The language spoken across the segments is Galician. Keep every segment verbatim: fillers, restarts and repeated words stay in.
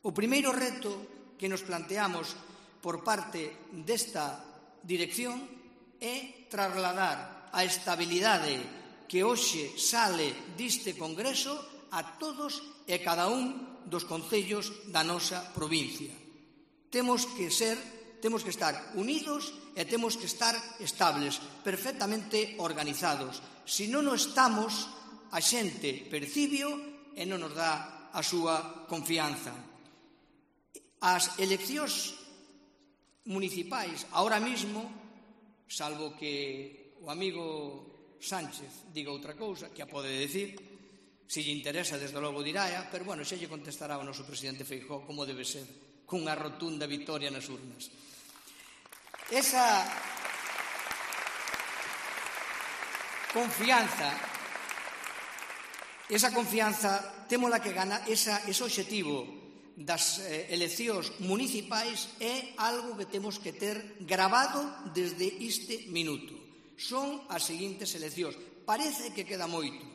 O primeiro reto que nos planteamos por parte desta dirección é trasladar a estabilidade que hoxe sale deste Congreso a todos e cada un dos concellos da nosa provincia. Temos que ser, temos que estar unidos e temos que estar estables, perfectamente organizados. Se non o estamos, a xente percíbeo e non nos dá a súa confianza. As eleccións municipais, ahora mismo, salvo que o amigo Sánchez diga outra cousa, que a pode decir, se lle interesa, desde logo diráa, pero, bueno, xa lle contestará o noso presidente Feijóo como debe ser, cunha rotunda vitoria nas urnas. Esa confianza, esa confianza, témola que gana, esa, ese obxectivo das eh, eleccións municipais é algo que temos que ter grabado desde este minuto. Son as seguintes eleccións. Parece que queda moito.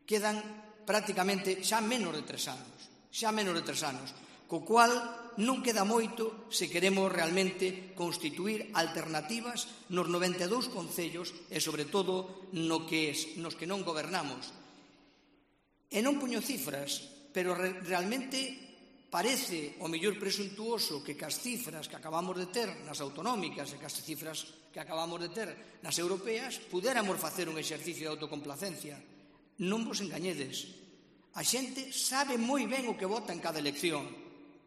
Quedan prácticamente xa menos de tres anos. Xa menos de tres anos. Co cual non queda moito se queremos realmente constituir alternativas nos noventa e dous concellos e, sobre todo, no que es, nos que non gobernamos. E non puño cifras, pero re, realmente parece o mellor presuntuoso que cas cifras que acabamos de ter nas autonómicas e cas cifras que acabamos de ter nas europeas pudéramos facer un exercicio de autocomplacencia. Non vos engañedes. A xente sabe moi ben o que vota en cada elección.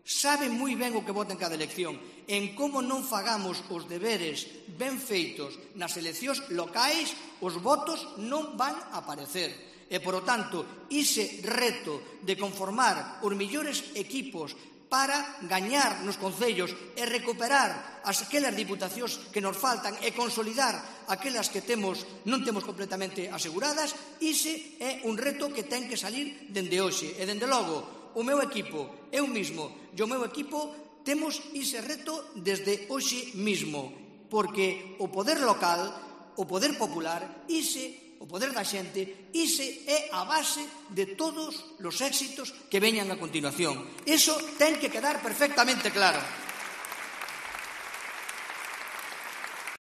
Sabe moi ben o que vota en cada elección. En como non fagamos os deberes ben feitos nas eleccións locais, os votos non van a aparecer. E, por lo tanto, ese reto de conformar os mellores equipos para gañar nos concellos e recuperar as aquelas diputacións que nos faltan e consolidar aquelas que temos non temos completamente aseguradas, ese é un reto que ten que salir dende hoxe. E, dende logo, o meu equipo, eu mismo e o meu equipo temos ese reto desde hoxe mismo, porque o poder local, o poder popular, ese o poder da xente, ise é a base de todos os éxitos que veñan a continuación. Iso ten que quedar perfectamente claro.